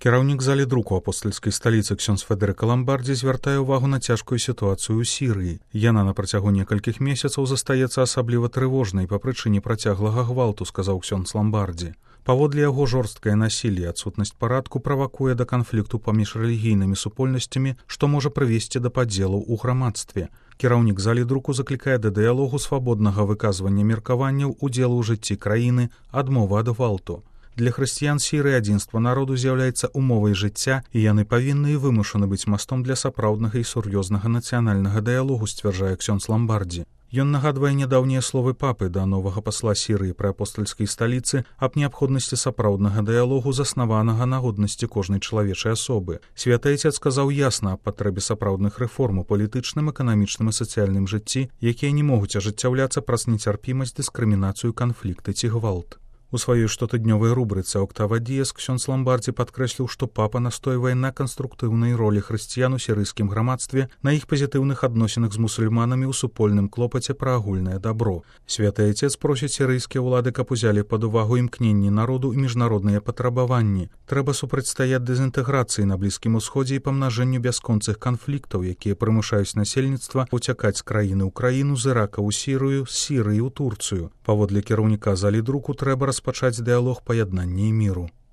Кіраўнік залі друку апостальскай сталіцы ксёндз Федэрыка Ламбардзі звяртае ўвагу на цяжкую сітуацыю ў Сірыі. Яна на працягу некалькіх месяцаў застаецца асабліва трывожнай па прычыне працяглага гвалту, сказаў ксёндз Ламбардзі. Паводле яго жорсткае насілле і адсутнасць парадку правакуе да канфлікту паміж рэлігійнымі супольнасцямі, што можа прывесці да падзелаў у грамадстве. Кіраўнік залі друку заклікае да дыялогу, свабоднага выказвання меркаванняў, удзелу ў жыцці краіны, адмовы ад гвалту. Для хрысціян Сірыі адзінства народу з'яўляецца умовай жыцця, і яны павінны і вымушаны быць мастом для сапраўднага і сур'ёзнага нацыянальнага дыялогу, сцвярджае ксёндз Ламбардзі. Ён нагадвае нядаўнія словы папы да новага пасла Сірыі пры апостальскай сталіцы аб неабходнасці сапраўднага дыялогу, заснаванага на годнасці кожнай чалавечай асобы. Святы Айцец сказаў ясна аб патрэбе сапраўдных рэформ у палітычным, эканамічным і сацыяльным жыцці, якія не могуць ажыццяўляцца праз нецярпімасць, дыскрымінацыю, канфлікты ці гвалт. У сваёй штотыднёвай рубрыцы «Октава Діес» ксёндз Ламбардзі падкрэсліў, што папа настойвае на канструктыўнай ролі хрысціян у сірыйскім грамадстве, на іх пазітыўных адносінах з мусульманамі ў супольным клопаце пра агульнае дабро. Святы Айцец просіць сірыйскія ўлады, каб узялі пад увагу імкненні народу і міжнародныя патрабаванні. Трэба супрацьстаяць дэзінтэграцыі на Блізкім Усходзе і памнажэнню бясконцых канфліктаў, якія прымушаюць насельніцтва уцякаць з краіны ў краіну, з Ірака ў Сірыю, з Сірыі ў Турцыю. Паводле кіраўніка залі друку трэба распачаць дыялог паяднання і міру.